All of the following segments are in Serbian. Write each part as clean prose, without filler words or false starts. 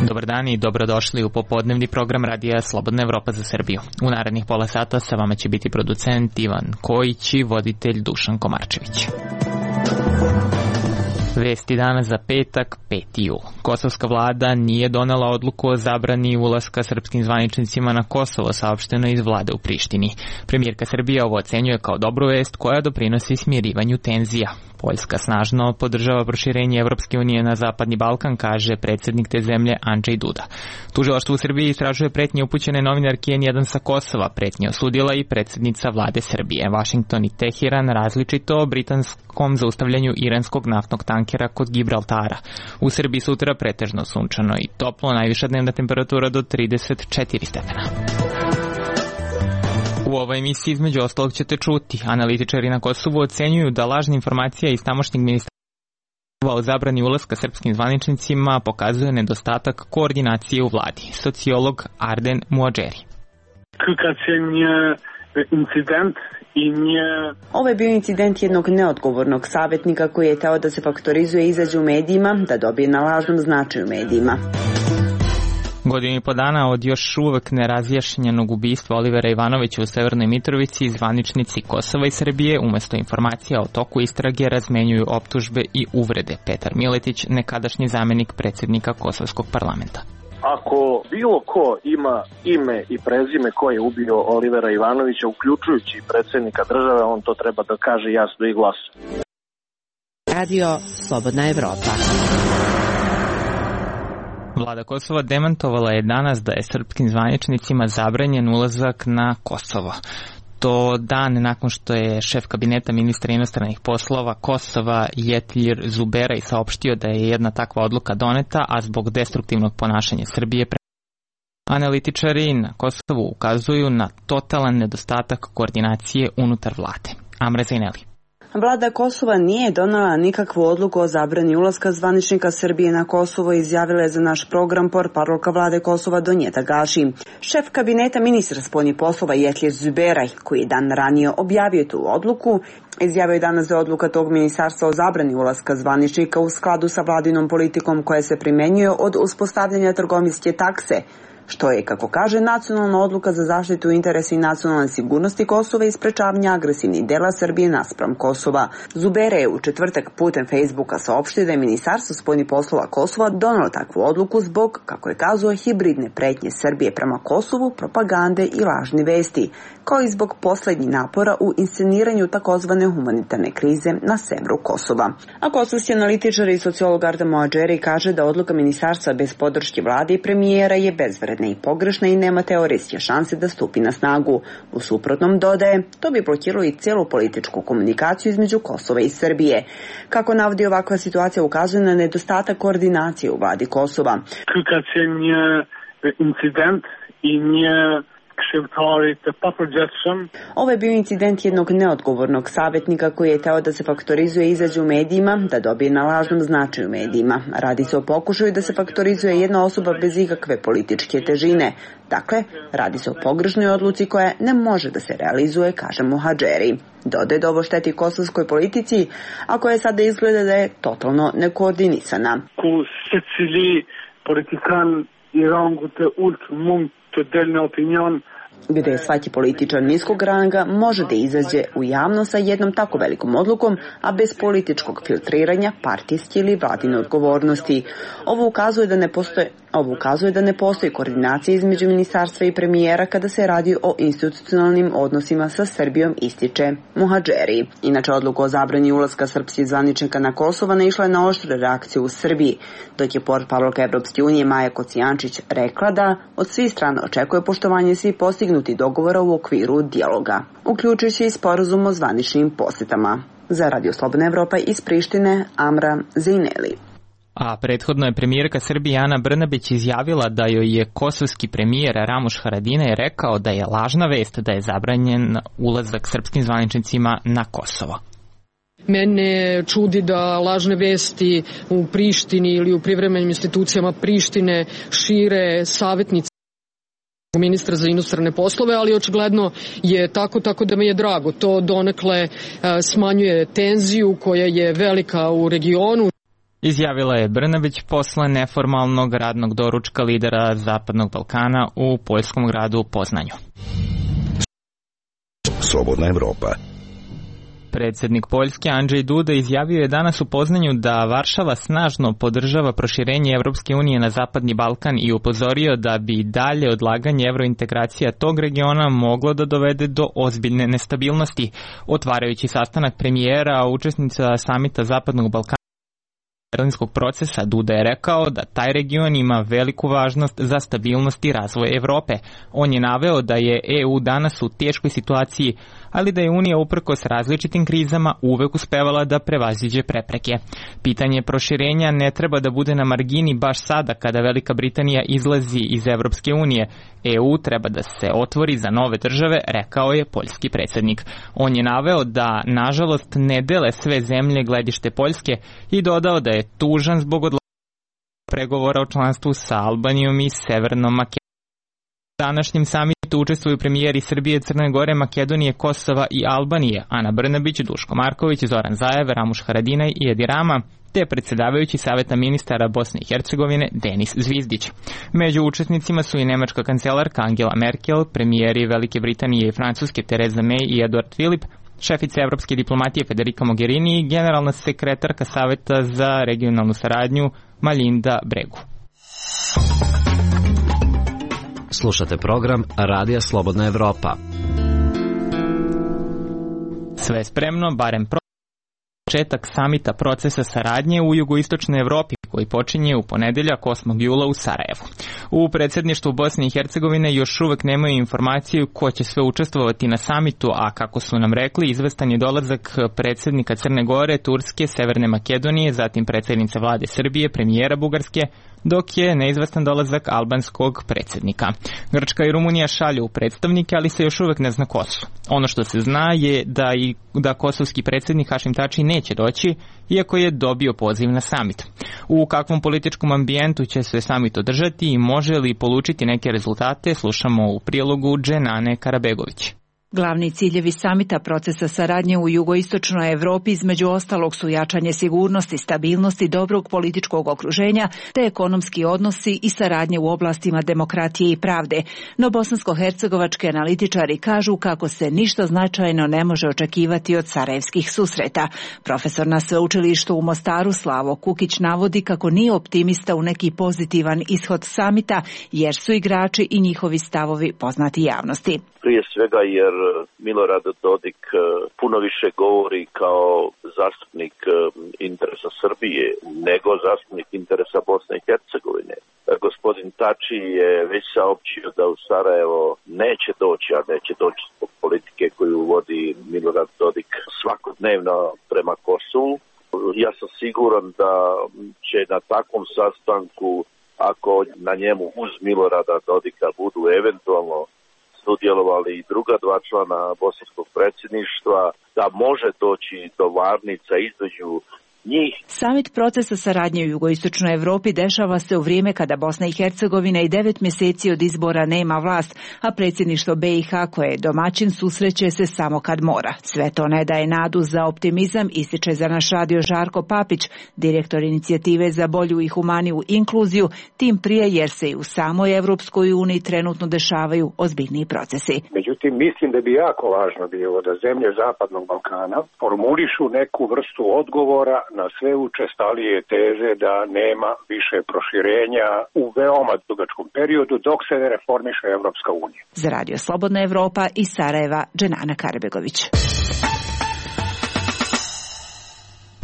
Dobar dan i dobrodošli u popodnevni program radija Slobodna Evropa za Srbiju. U narednih pola sata sa vama će biti producent Ivan Kojić i voditelj Dušan Komarčević. Vesti danas za petak, 5. jul. Kosovska vlada nije donela odluku o zabrani ulaska srpskim zvaničnicima na Kosovo, saopšteno iz vlade u Prištini. Premijerka Srbije ovo ocenjuje kao dobru vest koja doprinosi smirivanju tenzija. Poljska snažno podržava proširenje Evropske unije na Zapadni Balkan, kaže predsjednik te zemlje Andrzej Duda. Tužilaštvo u Srbiji istražuje pretnje upućene novinarki N1 sa Kosova. Pretnje osudila i predsjednica vlade Srbije. Washington i Teheran različito o britanskom zaustavljanju iranskog naftnog tankera kod Gibraltara. U Srbiji sutra pretežno sunčano i toplo, najviša dnevna temperatura do 34 stepena. U ovoj emisiji između ostalog ćete čuti. Analitičari na Kosovu ocenjuju da lažna informacija iz tamošnjeg ministarstva o zabrani ulaska srpskim zvaničnicima pokazuje nedostatak koordinacije u vladi. Sociolog Arden Muadžeri. Ovo je bio incident jednog neodgovornog savjetnika koji je teo da se faktorizuje i izađe u medijima, da dobije na lažnom značaju u medijima. Godinu i po dana od još uvek nerazjašnjenog ubistva Olivera Ivanovića u Severnoj Mitrovici, zvaničnici Kosova i Srbije umesto informacija o toku istrage razmenjuju optužbe i uvrede. Petar Miletić, nekadašnji zamenik predsjednika Kosovskog parlamenta. Ako bilo ko ima ime i prezime ko je ubio Olivera Ivanovića, uključujući predsjednika države, on to treba da kaže jasno i glasno. Radio Slobodna Evropa. Vlada Kosova demantovala je danas da je srpskim zvaničnicima zabranjen ulazak na Kosovo. To dan nakon što je šef kabineta ministra inostranih poslova Kosova Jetljir Zuberaj saopštio da je jedna takva odluka doneta, a zbog destruktivnog ponašanja Srbije. Analitičari na Kosovu ukazuju na totalan nedostatak koordinacije unutar vlade. Amra Zaineli. Vlada Kosova nije donela nikakvu odluku o zabrani ulaska zvaničnika Srbije na Kosovo, izjavila je za naš program portparolka vlade Kosova Donjeta Gaši. Šef kabineta ministra spoljnih poslova Jetljir Zuberaj, koji je dan ranije objavio tu odluku, izjavio je danas da je odluka tog ministarstva o zabrani ulaska zvaničnika u skladu sa vladinom politikom koja se primenjuje od uspostavljanja trgovinske takse, što je, kako kaže, nacionalna odluka za zaštitu interesa i nacionalne sigurnosti Kosova i sprečavanja agresivnih dela Srbije naspram Kosova. Zubere je u četvrtak putem Facebooka saopštio da je Ministarstvo spoljnih poslova Kosova donelo takvu odluku zbog, kako je kazao, hibridne pretnje Srbije prema Kosovu, propagande i lažni vesti, kao i zbog poslednjih napora u insceniranju takozvane humanitarne krize na severu Kosova. A kosovski analitičar i sociolog Arden Muadžeri kaže da odluka ministarstva bez podrške vlade i premijera je bezvredna i pogrešna i nema teorijske šanse da stupi na snagu. U suprotnom, dodaje, to bi blokiralo i celu političku komunikaciju između Kosova i Srbije. Kako navodi, ovakva situacija ukazuje na nedostatak koordinacije u vladi Kosova. Incident i nije Ovo je bio incident jednog neodgovornog savjetnika koji je teo da se faktorizuje i izađe u medijima, da dobije na lažnom značaju u medijima. Radi se o pokušaju da se faktorizuje jedna osoba bez ikakve političke težine. Dakle, radi se o pogrešnoj odluci koja ne može da se realizuje, kaže Muadžeri. Dodaje da ovo šteti kosovskoj politici, a koja sada izgleda da je totalno nekoordinisana. Gde svaki političar niskog ranga može da izađe u javnost sa jednom tako velikom odlukom, a bez političkog filtriranja, partijske ili vladine odgovornosti. Ovo ukazuje da ne postoji koordinacija između ministarstva i premijera kada se radi o institucionalnim odnosima sa Srbijom, ističe Muadžeri. Inače, odluka o zabrani ulaska srpskih zvaničnika na Kosovo naišla je na oštre reakcije u Srbiji, dok je portparolka Evropske unije Maja Kocijančić rekla da od svih strana očekuje poštovanje svih postignuti dogovora u okviru dijaloga, uključujući i sporazum o zvaničnim posetama. Za Radio Slobodna Evropa iz Prištine, Amra Zaineli. A prethodno je premijerka Srbije Ana Brnabić izjavila da joj je kosovski premijer Ramuš Haradinaj rekao da je lažna vest da je zabranjen ulazak srpskim zvaničnicima na Kosovo. Mene čudi da lažne vesti u Prištini ili u privremenim institucijama Prištine šire savjetnici ministra za inostrane poslove, ali očigledno je tako da mi je drago. To donekle smanjuje tenziju koja je velika u regionu. izjavila je Brnabić posle neformalnog radnog doručka lidera Zapadnog Balkana u poljskom gradu Poznanju. Slobodna Evropa. Predsjednik Poljske Andrzej Duda izjavio je danas u Poznanju da Varšava snažno podržava proširenje Evropske unije na Zapadni Balkan i upozorio da bi dalje odlaganje evrointegracija tog regiona moglo da dovede do ozbiljne nestabilnosti. Otvarajući sastanak premijera, učesnica samita Zapadnog Balkana berlinskog procesa, Duda je rekao da taj region ima veliku važnost za stabilnost i razvoj Evrope. On je naveo da je EU danas u teškoj situaciji, ali da je Unija uprkos različitim krizama uvek uspevala da prevaziđe prepreke. Pitanje proširenja ne treba da bude na margini baš sada kada Velika Britanija izlazi iz Evropske unije. EU treba da se otvori za nove države, rekao je poljski predsjednik. On je naveo da, nažalost, ne dele sve zemlje gledište Poljske i dodao da je tužan zbog odlaganja pregovora o članstvu sa Albanijom i Severnom Makedonijom. U današnjem samitu učestvuju premijeri Srbije, Crne Gore, Makedonije, Kosova i Albanije, Ana Brnabić, Duško Marković, Zoran Zaev, Ramuš Haradinaj i Edi Rama, te predsjedavajući Saveta ministara Bosne i Hercegovine Denis Zvizdić. Među učesnicima su i nemačka kancelarka Angela Merkel, premijeri Velike Britanije i Francuske Theresa May i Eduard Philip, šefica evropske diplomatije Federica Mogherini i generalna sekretarka Saveta za regionalnu saradnju Malinda Bregu. Slušate program Radija Slobodna Evropa. Sve spremno, barem početak samita procesa saradnje u jugoistočnoj Evropi koji počinje u ponedeljak 8. jula u Sarajevu. U predsjedništvu Bosne i Hercegovine još uvek nemaju informaciju ko će sve učestvovati na samitu, a kako su nam rekli, izvestan je dolazak predsjednika Crne Gore, Turske, Severne Makedonije, zatim predsjednice vlade Srbije, premijera Bugarske, dok je neizvestan dolazak albanskog predsjednika. Grčka i Rumunija šalju predstavnike, ali se još uvek ne zna ko su. Ono što se zna je da kosovski predsjednik Hašim Tači neće doći, iako je dobio poziv na samit. U kakvom političkom ambijentu će se samit održati i može li polučiti neke rezultate, slušamo u prilogu Dženane Karabegović. Glavni ciljevi samita procesa saradnje u jugoistočnoj Evropi između ostalog su jačanje sigurnosti, stabilnosti, dobrog političkog okruženja te ekonomski odnosi i saradnje u oblastima demokratije i pravde. No bosansko-hercegovački analitičari kažu kako se ništa značajno ne može očekivati od sarajevskih susreta. Profesor na sveučilištu u Mostaru Slavo Kukić navodi kako nije optimista u neki pozitivan ishod samita jer su igrači i njihovi stavovi poznati javnosti. Prije svega jer Milorad Dodik puno više govori kao zastupnik interesa Srbije nego zastupnik interesa Bosne i Hercegovine. Gospodin Tači je već saopćio da u Sarajevo neće doći, a neće doći zbog politike koju vodi Milorad Dodik svakodnevno prema Kosovu. Ja sam siguran da će na takvom sastanku, ako na njemu uz Milorada Dodika budu eventualno sudjelovali i druga dva člana bosanskog predsjedništva, da može doći do varnica između njih. Samit procesa saradnje u jugoistočnoj Evropi dešava se u vrijeme kada Bosna i Hercegovina i 9 mjeseci od izbora nema vlast, a predsjedništvo BiH koje je domaćin susreće se samo kad mora. Sve to ne daje nadu za optimizam, ističe za naš radio Žarko Papić, direktor inicijative za bolju i humaniju inkluziju, tim prije jer se i u samoj Evropskoj uniji trenutno dešavaju ozbiljniji procesi. Međutim, mislim da bi jako važno bilo da zemlje Zapadnog Balkana formulišu neku vrstu odgovora na sve učestalije teze da nema više proširenja u veoma dugačkom periodu dok se ne reformiše Evropska unija. Za Radio Slobodna Evropa iz Sarajeva, Dženana Karabegović.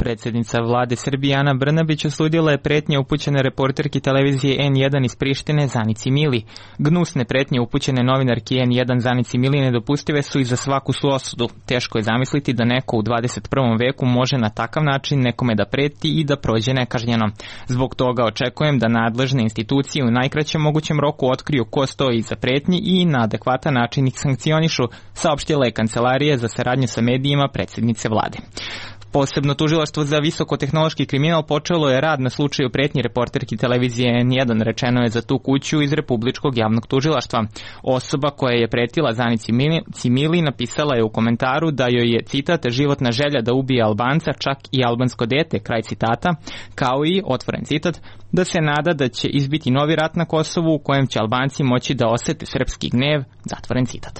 Predsjednica vlade Srbije Ana Brnabić osudila je pretnje upućene reporterki televizije N1 iz Prištine Zanici Mili. Gnusne pretnje upućene novinarki N1 Zanici Mili nedopustive su i za svaku su osudu. Teško je zamisliti da neko u 21. veku može na takav način nekome da preti i da prođe nekažnjeno. Zbog toga očekujem da nadležne institucije u najkraćem mogućem roku otkriju ko stoji iza pretnji i na adekvatan način ih sankcionišu, saopštila je Kancelarija za saradnju sa medijima predsjednice vlade. Posebno tužilaštvo za visokotehnološki kriminal počelo je rad na slučaju pretnji reporterki televizije N1, rečeno je za tu kuću iz Republičkog javnog tužilaštva. Osoba koja je pretila Zanici Mili napisala je u komentaru da joj je, citat, životna želja da ubije Albanca, čak i albansko dete, kraj citata, kao i, otvoren citat, da se nada da će izbiti novi rat na Kosovu u kojem će Albanci moći da osete srpski gnev, zatvoren citat.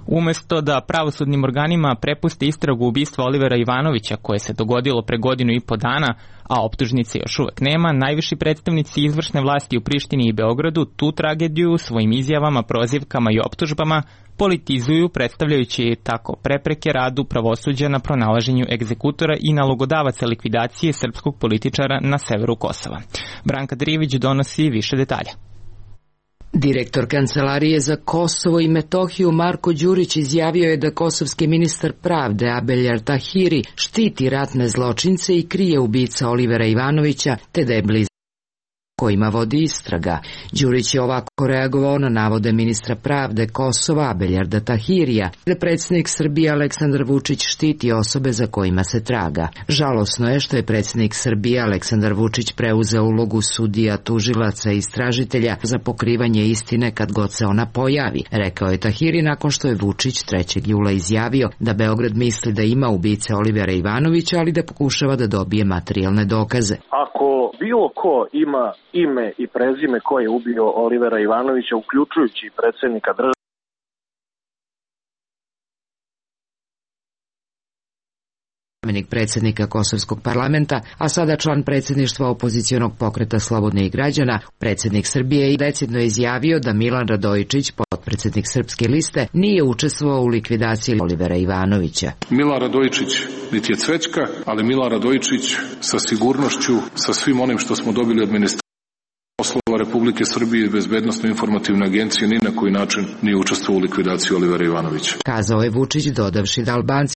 Umesto da pravosudnim organima prepuste istragu ubistva Olivera Ivanovića koje se dogodilo pre 1.5 godina, a optužnice još uvek nema, najviši predstavnici izvršne vlasti u Prištini i Beogradu tu tragediju svojim izjavama, prozivkama i optužbama politizuju, predstavljajući tako prepreke radu pravosuđa na pronalaženju egzekutora i nalogodavaca likvidacije srpskog političara na severu Kosova. Branka Drivić donosi više detalja. Direktor Kancelarije za Kosovo i Metohiju Marko Đurić izjavio je da kosovski ministar pravde Abeljar Tahiri štiti ratne zločince i krije ubica Olivera Ivanovića, te da je blizu kojima vodi istraga. Đurić je ovako reagovao na navode ministra pravde Kosova Abeljarda Tahirija da predsjednik Srbije Aleksandar Vučić štiti osobe za kojima se traga. Žalosno je što je predsjednik Srbije Aleksandar Vučić preuzeo ulogu sudija, tužilaca i istražitelja za pokrivanje istine kad god se ona pojavi, rekao je Tahiri nakon što je Vučić 3. jula izjavio da Beograd misli da ima ubice Olivera Ivanovića, ali da pokušava da dobije materijalne dokaze. Ako bilo ko ima ime i prezime ko je ubio Olivera Ivanovića, uključujući predsjednika države, zamenik predsjednika Kosovskog parlamenta, a sada član predsjedništva opozicionog pokreta Slobodnih građana, predsjednik Srbije i decidno izjavio da Milan Radojičić, potpredsjednik Srpske liste, nije učestvovao u likvidaciji Olivera Ivanovića. Milan Radojičić niti je cvećka, ali Milan Radojičić sa sigurnošću, sa svim onim što smo dobili od ministarstva poslova Republike Srbije i Bezbednosno informativne agencije, ni na koji način nije učestvovao u likvidaciji Olivera Ivanovića. Kazao je Vučić, dodavši da Albanci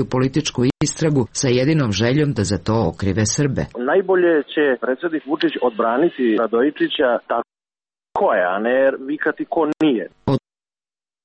u političku istragu sa jedinom željom da za to okrive Srbe. Najbolje će predsjednik Vučić odbraniti Radojičića tako je, a ne vikati ko nije.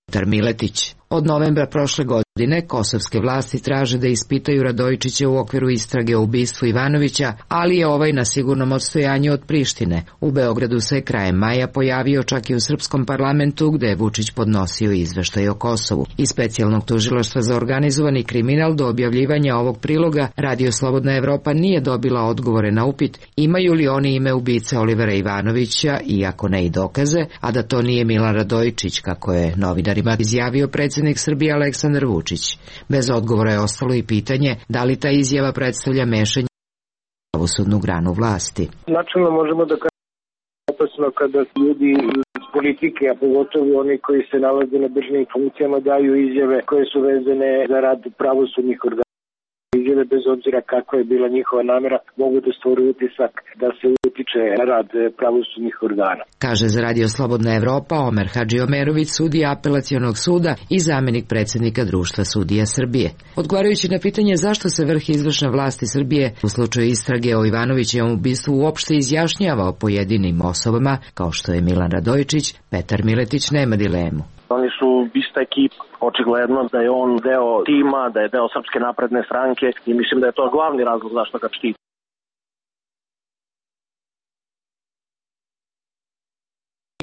Petar Miletić. Od novembra prošle godine kosovske vlasti traže da ispitaju Radojičića u okviru istrage o ubistvu Ivanovića, ali je ovaj na sigurnom odstojanju od Prištine. U Beogradu se krajem maja pojavio čak i u srpskom parlamentu gde je Vučić podnosio izveštaj o Kosovu. Iz specijalnog tužilaštva za organizovani kriminal do objavljivanja ovog priloga Radio Slobodna Evropa nije dobila odgovore na upit imaju li oni ime ubice Olivera Ivanovića, iako ne i dokaze, a da to nije Milan Radojičić, kako je novinarima izjavio predsjednik Srbije Aleksandar Vučić. Bez odgovora je ostalo i pitanje da li ta izjava predstavlja mešanje u pravosudnu granu vlasti. Načelno možemo da kažemo opasno kada ljudi iz politike, a pogotovo oni koji se nalaze na državnim funkcijama, daju izjave koje su vezane za rad pravosudnih organa. Izjave, bez obzira kakva je bila njihova namjera, mogu da stvore utisak da se utiče na rad pravosudnih organa. Kaže za Radio Slobodna Evropa Omer Hadžiomerović, sudija apelacionog suda i zamenik predsjednika Društva sudija Srbije. Odgovarajući na pitanje zašto se vrh izvršne vlasti Srbije u slučaju istrage o Ivanovićevom ubistvu uopšte izjašnjava o pojedinim osobama, kao što je Milan Radojičić, Petar Miletić nema dilemu. Oni su ista ekipa. Očigledno da je on deo tima, da je deo Srpske napredne stranke i mislim da je to glavni razlog zašto ga štiti.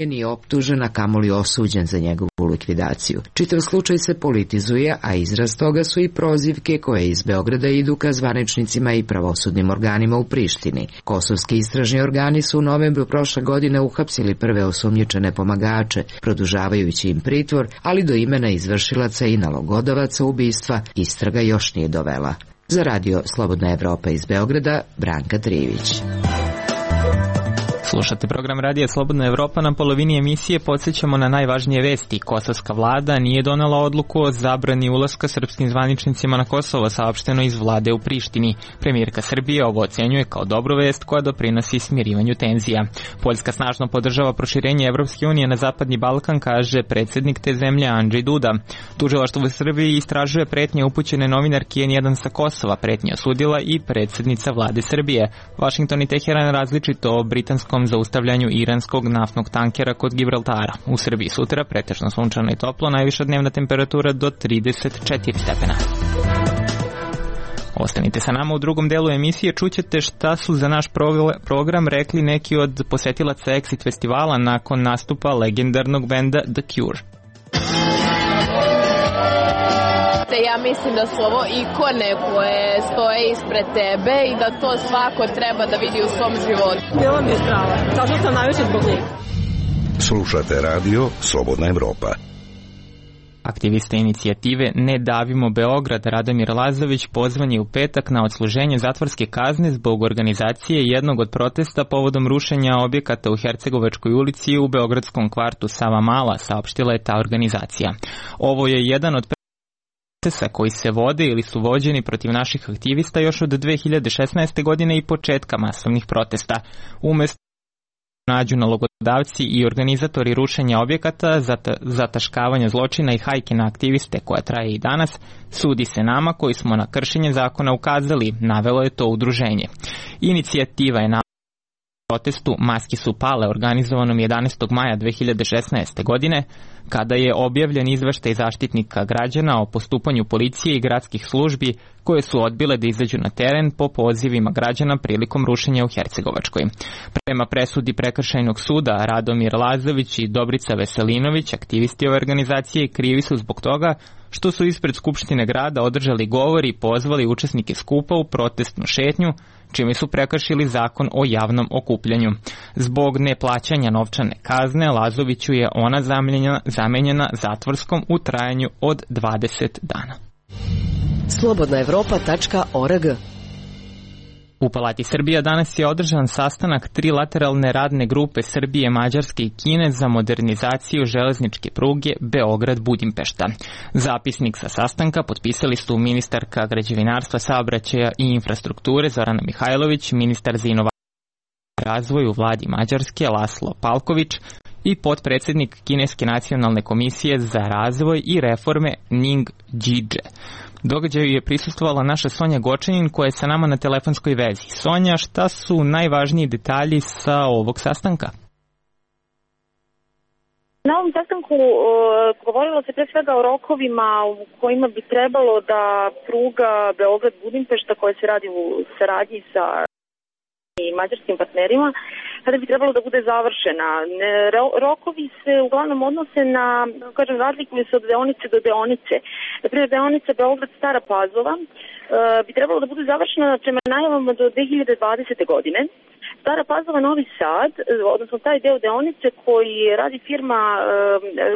Nije optužen, a kamoli osuđen za njegovu likvidaciju. Čitav slučaj se politizuje, a izraz toga su i prozivke koje iz Beograda idu ka zvaničnicima i pravosudnim organima u Prištini. Kosovski istražni organi su u novembru prošle godine uhapsili prve osumnjičene pomagače, produžavajući im pritvor, ali do imena izvršilaca i nalogodavaca ubistva istraga još nije dovela. Za Radio Slobodna Evropa iz Beograda, Branka Trivić. Slušate program Radija Slobodna Evropa. Na polovini emisije podsjećamo na najvažnije vesti. Kosovska vlada nije donela odluku o zabrani ulaska srpskim zvaničnicima na Kosovo, saopšteno iz vlade u Prištini. Premijerka Srbije ovo ocenjuje kao dobru vest koja doprinosi smirivanju tenzija. Poljska snažno podržava proširenje Evropske unije na Zapadni Balkan, kaže predsjednik te zemlje Andrzej Duda. Tužilaštvo u Srbiji istražuje pretnje upućene novinarki N1 sa Kosova. Pretnje osudila i predsjednica vlade Srbije. Washington i Teheran različito o britanskom zaustavljanju iranskog naftnog tankera kod Gibraltara. U Srbiji sutra pretežno sunčano i toplo, najviša dnevna temperatura do 34 stepena. Ostanite sa nama u drugom delu emisije, čućete šta su za naš program rekli neki od posetilaca Exit festivala nakon nastupa legendarnog benda The Cure. Ja mislim da su ovo ikone koje stoje ispred tebe i da to svako treba da vidi u svom životu. Bilo mi je strava, tačno sam najviše zbog njih. Slušate radio Slobodna Evropa. Aktivista inicijative Ne davimo Beograd Radomir Lazović pozvan je u petak na odsluženje zatvorske kazne zbog organizacije jednog od protesta povodom rušenja objekata u Hercegovačkoj ulici u beogradskom kvartu Savamala, saopštila je ta organizacija. Ovo je jedan od procesa koji se vode ili su vođeni protiv naših aktivista još od 2016. godine i početka masovnih protesta. Umesto nađu nalogodavci i organizatori rušenja objekata, zataškavanja zločina i hajke na aktiviste koja traje i danas, sudi se nama koji smo na kršenje zakona ukazali, navelo je to udruženje. Inicijativa je na protestu Maske su pale, organizovanom 11. maja 2016. godine, kada je objavljen izveštaj Zaštitnika građana o postupanju policije i gradskih službi koje su odbile da izađu na teren po pozivima građana prilikom rušenja u Hercegovačkoj. Prema presudi Prekršajnog suda, Radomir Lazović i Dobrica Veselinović, aktivisti ove organizacije, krivi su zbog toga što su ispred Skupštine grada održali govor i pozvali učesnike skupa u protestnu šetnju, čime su prekršili zakon o javnom okupljanju. Zbog neplaćanja novčane kazne, Lazoviću je ona zamenjena zatvorskom u trajanju od 20 dana. slobodnaevropa.org. U Palati Srbija danas je održan sastanak trilateralne radne grupe Srbije, Mađarske i Kine za modernizaciju železničke pruge Beograd-Budimpešta. Zapisnik sa sastanka potpisali su ministarka građevinarstva, saobraćaja i infrastrukture Zorana Mihajlović, ministar za inovacije i razvoj u vladi Mađarske Laslo Palković i potpredsednik Kineske nacionalne komisije za razvoj i reforme Ning Jidže. Događaju je prisustvovala naša Sonja Gočanin koja je sa nama na telefonskoj vezi. Sonja, šta su najvažniji detalji sa ovog sastanka? Na ovom sastanku govorilo se pre svega o rokovima u kojima bi trebalo da pruga Beograd-Budimpešta koja se radi u saradnji sa i mađarskim partnerima, kada bi trebalo da bude završena. Rokovi se uglavnom odnose na, razlikuju se od deonice do deonice. Naprimjer, deonica Beograd-Stara Pazova bi trebalo da bude završena prema najavama do 2020. godine. Stara Pazova, Novi Sad, odnosno taj deo deonice koji radi firma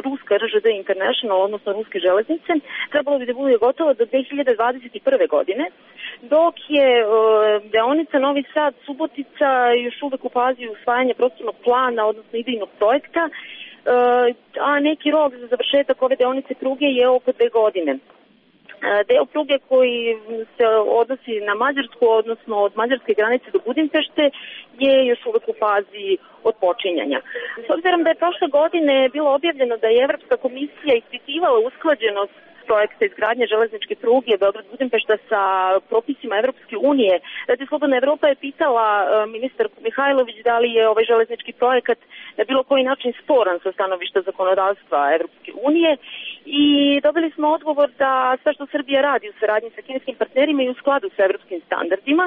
ruska RŽD International, odnosno ruske železnice, trebalo bi da bude gotovo do 2021. godine, dok je deonica Novi Sad Subotica još uvek u fazi usvajanja prostornog plana, odnosno idejnog projekta, a neki rok za završetak ove deonice pruge je oko 2 godine. Deo pruge koji se odnosi na Mađarsku, odnosno od mađarske granice do Budimpešte, je još uvek u fazi odpočinjanja. S obzirom da je prošle godine bilo objavljeno da je Evropska komisija ispitivala usklađenost projekta izgradnje železničke pruge Beograd-Budimpešta sa propisima Evropske unije. Radio Slobodna Evropa je pitala ministarku Mihajlović da li je ovaj železnički projekat na bilo koji način sporan sa stanovišta zakonodavstva Evropske unije i dobili smo odgovor da sve što Srbija radi u saradnji sa kineskim partnerima i u skladu sa evropskim standardima.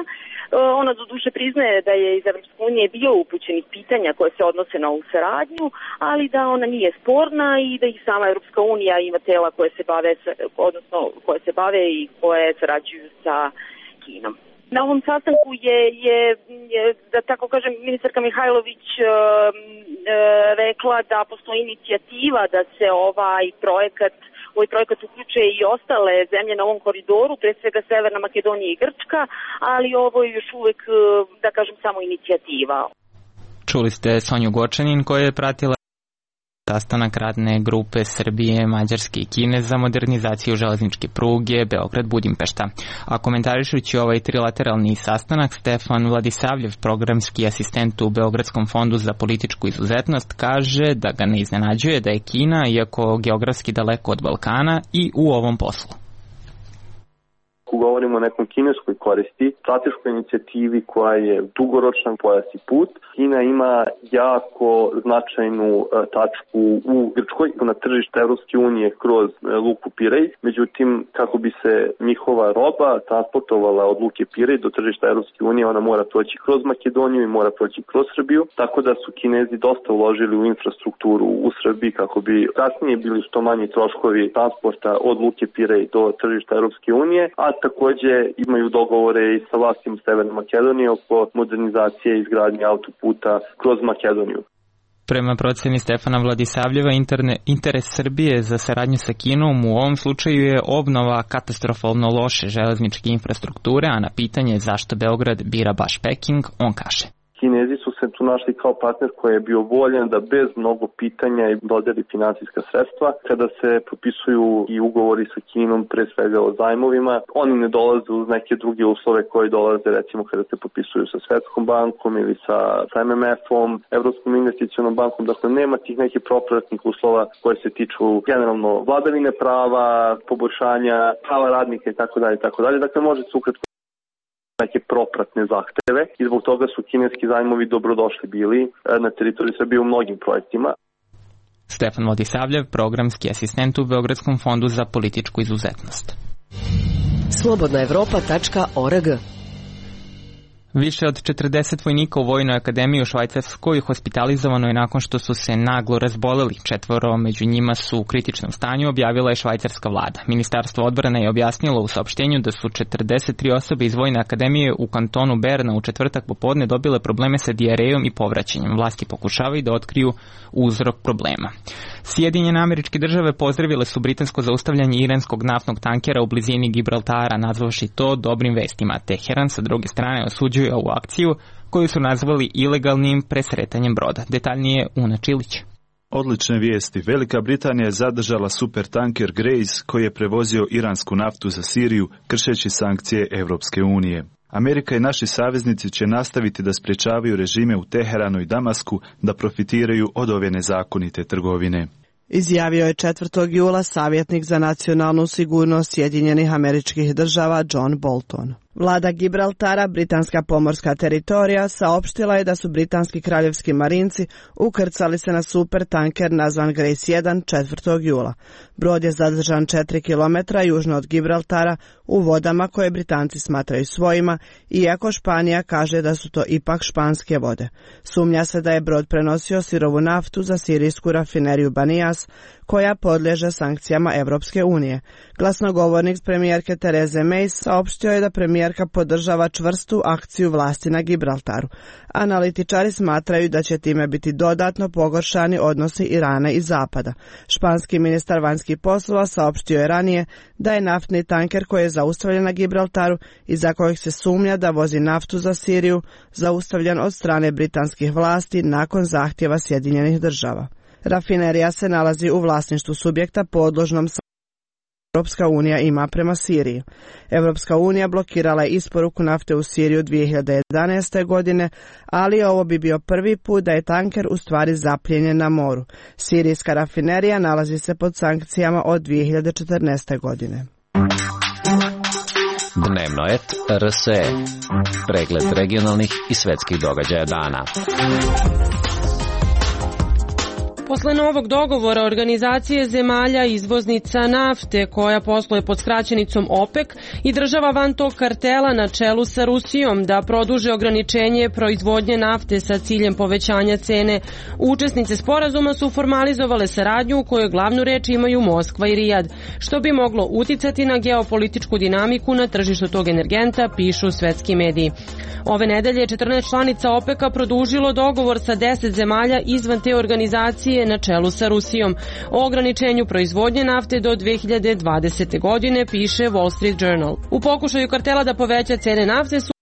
Ona do duše priznaje da je iz Evropske unije bio upućenih pitanja koje se odnose na ovu saradnju, ali da ona nije sporna i da ih sama Evropska unija ima tela koje se bave i koje sarađuju sa Kinom. Na ovom sastanku je da tako kažem, ministarka Mihajlović rekla da postoji inicijativa da se ovaj projekat uključe i ostale zemlje na ovom koridoru, pre svega Severna Makedonija i Grčka, ali ovo je još uvek, da kažem, samo inicijativa. Čuli ste Sonju Gočanin koja je pratila sastanak radne grupe Srbije, Mađarske i Kine za modernizaciju železničke pruge Beograd-Budimpešta. A komentarišući ovaj trilateralni sastanak, Stefan Vladisavljev, programski asistent u Beogradskom fondu za političku izuzetnost, kaže da ga ne iznenađuje da je Kina, iako geografski daleko od Balkana, i u ovom poslu. Ako govorimo o nekom kineskoj koristi, strateškoj inicijativi koja je dugoročan pojas i put, Kina ima jako značajnu tačku u Grčkoj na tržište Evropske unije kroz luku Pirej. Međutim, kako bi se njihova roba transportovala od luke Pirej do tržišta Evropske unije, ona mora proći kroz Makedoniju i mora proći kroz Srbiju, tako da su Kinezi dosta uložili u infrastrukturu u Srbiji kako bi kasnije bili što manji troškovi transporta od luke Pirej do tržišta Evropske unije, a takođe imaju dogovore i sa vlastima Severne Makedonije oko modernizacije i izgradnje autoputa kroz Makedoniju. Prema proceni Stefana Vladisavljeva, interes Srbije za saradnju sa Kinom u ovom slučaju je obnova katastrofalno loše železničke infrastrukture, a na pitanje zašto Beograd bira baš Peking, on kaže: Kinezi su se tu našli kao partner koji je bio voljan da bez mnogo pitanja i dodeli finansijska sredstva. Kada se potpisuju i ugovori sa Kinom, pre svega o zajmovima, oni ne dolaze uz neke druge uslove koji dolaze recimo kada se potpisuju sa Svetskom bankom ili sa MMF-om, Evropskom investicionom bankom. Dakle, nema tih nekih propratnih uslova koje se tiču generalno vladavine prava, poboljšanja prava radnika itd. Dakle, može se ukratko neke propratne zahteve i zbog toga su kineski zajmovi dobrodošli bili na teritoriji Srbije u mnogim projektima. Stefan Vladisavljev, programski asistent u Beogradskom fondu za političku izuzetnost. Slobodnaevropa.org. Više od 40 vojnika u Vojnoj akademiji u Švajcarskoj hospitalizovano je nakon što su se naglo razboleli. 4 među njima su u kritičnom stanju, objavila je švajcarska vlada. Ministarstvo odbrane je objasnilo u saopštenju da su 43 osobe iz Vojne akademije u kantonu Berna u četvrtak popodne dobile probleme sa dijarejom i povraćanjem. Vlasti pokušavaju da otkriju uzrok problema. Sjedinjene Američke Države pozdravile su britansko zaustavljanje iranskog naftnog tankera u blizini Gibraltara, nazvavši to dobrim vestima. Teheran sa druge strane osuđuje ovu akciju koju su nazvali ilegalnim presretanjem broda. Detaljnije Una Čilić. Odlične vijesti. Velika Britanija je zadržala supertanker Grace koji je prevozio iransku naftu za Siriju kršeći sankcije Evropske unije. Amerika i naši saveznici će nastaviti da sprječavaju režime u Teheranu i Damasku da profitiraju od ove nezakonite trgovine. Izjavio je 4. jula savjetnik za nacionalnu sigurnost Sjedinjenih Američkih Država John Bolton. Vlada Gibraltara, britanska pomorska teritorija, saopštila je da su britanski kraljevski marinci ukrcali se na supertanker nazvan Grace 1 4. jula. Brod je zadržan 4 km južno od Gibraltara u vodama koje Britanci smatraju svojima, iako Španija kaže da su to ipak španske vode. Sumnja se da je brod prenosio sirovu naftu za sirijsku rafineriju Banijas, koja podliježe sankcijama Evropske unije. Glasnogovornik premijerke Tereze May saopštio je da premijerka podržava čvrstu akciju vlasti na Gibraltaru. Analitičari smatraju da će time biti dodatno pogoršani odnosi Irana i Zapada. Španski ministar vanjskih poslova saopštio je ranije da je naftni tanker koji je zaustavljen na Gibraltaru i za kojeg se sumnja da vozi naftu za Siriju zaustavljen od strane britanskih vlasti nakon zahtjeva Sjedinjenih Država. Rafinerija se nalazi u vlasništvu subjekta podložnom Europska unija ima prema Siriji. Europska unija blokirala je isporuku nafte u Siriju 2011. godine, ali ovo bi bio prvi put da je tanker u stvari zaplijenjen na moru. Sirijska rafinerija nalazi se pod sankcijama od 2014. godine. Dnevno et RSE. Pregled regionalnih i svetskih događaja dana. Posle novog dogovora Organizacije zemalja izvoznica nafte, koja posluje pod skraćenicom OPEC, i država van tog kartela na čelu sa Rusijom da produže ograničenje proizvodnje nafte sa ciljem povećanja cene, učesnice sporazuma su formalizovale saradnju u kojoj glavnu reč imaju Moskva i Rijad, što bi moglo uticati na geopolitičku dinamiku na tržištu tog energenta, pišu svetski mediji. Ove nedelje 14 članica OPEC-a produžilo dogovor sa 10 zemalja izvan te organizacije na čelu sa Rusijom o ograničenju proizvodnje nafte do 2020. godine, piše Wall Street Journal. U pokušaju kartela da poveća cene nafte su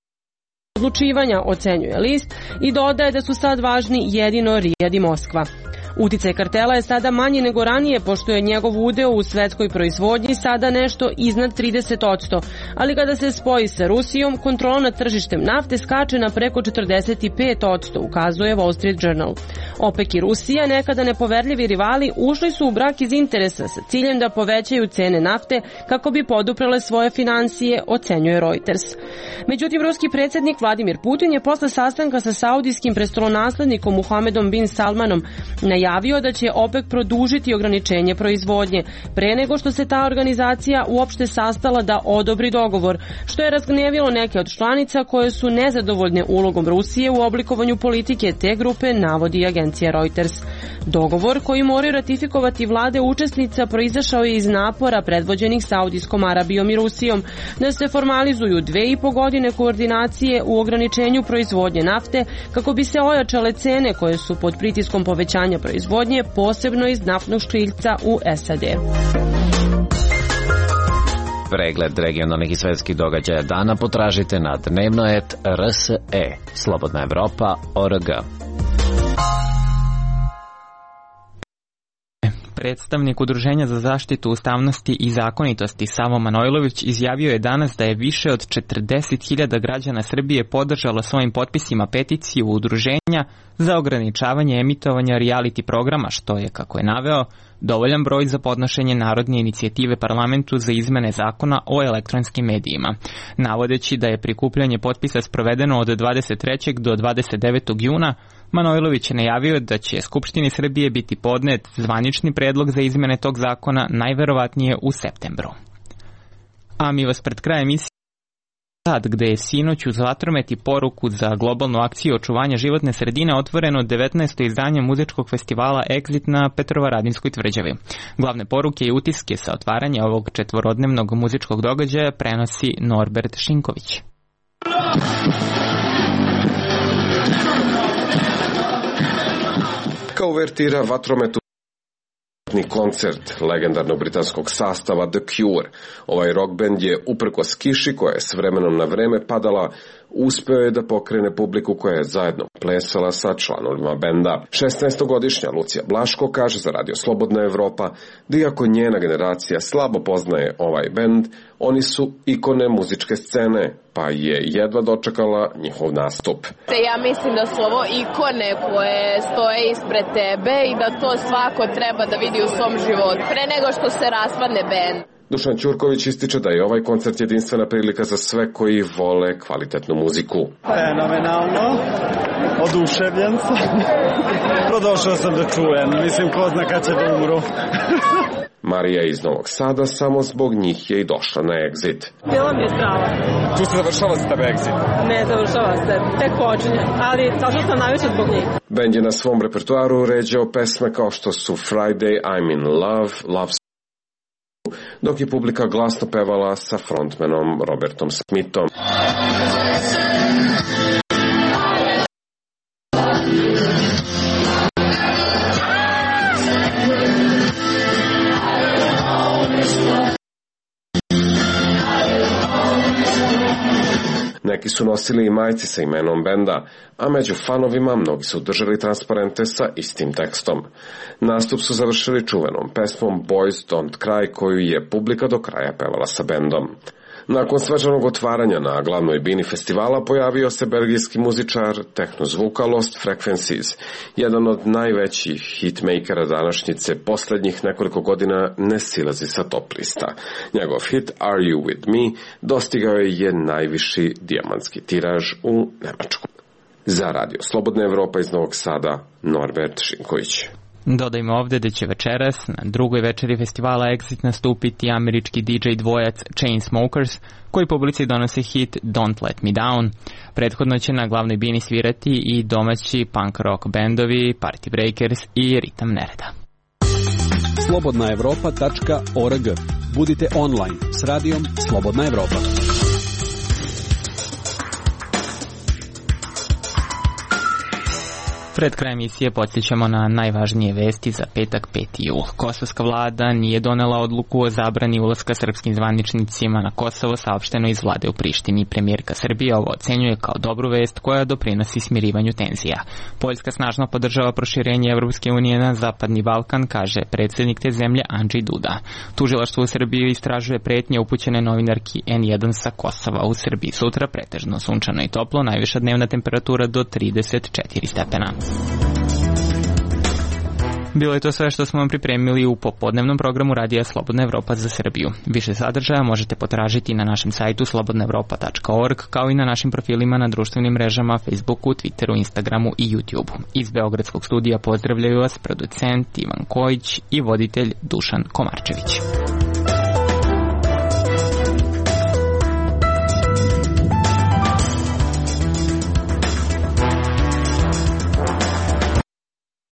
odlučivanja, ocenjuje list, i dodaje da su sad važni jedino Rijad i Moskva. Uticaj kartela je sada manji nego ranije, pošto je njegov udeo u svetskoj proizvodnji sada nešto iznad 30%, ali kada se spoji sa Rusijom, kontrola nad tržištem nafte skače na preko 45%, ukazuje Wall Street Journal. OPEC i Rusija, nekada nepoverljivi rivali, ušli su u brak iz interesa sa ciljem da povećaju cene nafte kako bi poduprele svoje finansije, ocenjuje Reuters. Međutim, ruski predsjednik Vladimir Putin je posle sastanka sa saudijskim prestolonaslednikom Muhamedom bin Salmanom najavio da će OPEC produžiti ograničenje proizvodnje pre nego što se ta organizacija uopšte sastala da odobri dogovor, što je razgnevilo neke od članica koje su nezadovoljne ulogom Rusije u oblikovanju politike te grupe, navodi agencija Reuters. Dogovor koji moraju ratifikovati vlade učesnica proizašao je iz napora predvođenih Saudijskom Arabijom i Rusijom da se formalizuju 2,5 godine koordinacije u ograničenju proizvodnje nafte kako bi se ojačale cene koje su pod pritiskom povećanja proizvodnje, posebno iz naftnog škriljca u SAD. Pregled regionalnih i svetskih događaja dana potražite na dnevnoet.rse, Slobodna Evropa.org. Predstavnik Udruženja za zaštitu ustavnosti i zakonitosti Savo Manojlović izjavio je danas da je više od 40.000 građana Srbije podržalo svojim potpisima peticiju udruženja za ograničavanje emitovanja reality programa, što je, kako je naveo, dovoljan broj za podnošenje narodne inicijative parlamentu za izmene zakona o elektronskim medijima. Navodeći da je prikupljanje potpisa sprovedeno od 23. do 29. juna, Manojlović je najavio da će Skupštini Srbije biti podnet zvanični predlog za izmene tog zakona najverovatnije u septembru. A mi vas pred krajem emisije gde je sinoć uz vatromet i poruku za globalnu akciju očuvanja životne sredine otvoreno 19. izdanje muzičkog festivala Exit na Petrovaradinskoj tvrđavi. Glavne poruke i utiske sa otvaranja ovog četvorodnevnog muzičkog događaja prenosi Norbert Šinković. Kao uvertira vatrometu koncert legendarnog britanskog sastava The Cure. Ovaj rock band je, uprkos kiši koja je s vremenom na vreme padala, uspeo je da pokrene publiku koja je zajedno plesala sa članovima benda. 16-godišnja Lucija Blaško kaže za Radio Slobodna Evropa da iako njena generacija slabo poznaje ovaj bend, oni su ikone muzičke scene, pa je jedva dočekala njihov nastup. Ja mislim da su ovo ikone koje stoje ispred tebe i da to svako treba da vidi u svom životu, pre nego što se raspadne bend. Dušan Ćurković ističe da je ovaj koncert jedinstvena prilika za sve koji vole kvalitetnu muziku. Fenomenalno, oduševljen sam. Prodošao sam da čujem, mislim ko zna kad će da umru. Marija iz Novog Sada samo zbog njih je i došla na Exit. Bilo mi je strava. Tu se završava za tebe Exit? Ne završava se, tek počinje, ali zašto sam najviše zbog njih. Bend je na svom repertoaru uređao pesme kao što su Friday, I'm in Love, Love, dok je publika glasno pevala sa frontmanom Robertom Smithom. Neki su nosili i majice sa imenom benda, a među fanovima mnogi su držali transparente sa istim tekstom. Nastup su završili čuvenom pesmom Boys Don't Cry, koju je publika do kraja pevala sa bendom. Nakon svečanog otvaranja na glavnoj bini festivala pojavio se belgijski muzičar tehnozvuka Lost Frequencies, jedan od najvećih hitmakera današnjice. Poslednjih nekoliko godina ne silazi sa top lista. Njegov hit Are You With Me dostigao je najviši dijamantski tiraž u Nemačku. Za Radio Slobodna Evropa iz Novog Sada, Norbert Šinković. Dodajmo ovde da će večeras na drugoj večeri festivala Exit nastupiti američki DJ dvojac Chainsmokers, koji publici donose hit Don't Let Me Down. Prethodno će na glavnoj bini svirati i domaći punk rock bendovi Party Breakers i Ritam Nereda. Slobodnaevropa.org. Budite online s radijom Slobodna Evropa. Pred krajem emisije podsjećamo na najvažnije vesti za petak 5. jul. Kosovska vlada nije donela odluku o zabrani ulaska srpskim zvaničnicima na Kosovo, saopšteno iz vlade u Prištini. Premijerka Srbije ovo ocenjuje kao dobru vest koja doprinosi smirivanju tenzija. Poljska snažno podržava proširenje Evropske unije na Zapadni Balkan, kaže predsjednik te zemlje Andrzej Duda. Tužilaštvo u Srbiji istražuje pretnje upućene novinarki N1 sa Kosova. U Srbiji sutra pretežno sunčano i toplo, najviša dnevna temperatura do 34 stepena. Bilo je to sve što smo vam pripremili u popodnevnom programu Radija Slobodna Evropa za Srbiju. Više sadržaja možete potražiti na našem sajtu slobodnaevropa.org, kao i na našim profilima na društvenim mrežama Facebooku, Twitteru, Instagramu i YouTubeu. Iz Beogradskog studija pozdravljaju vas producent Ivan Kojić i voditelj Dušan Komarčević.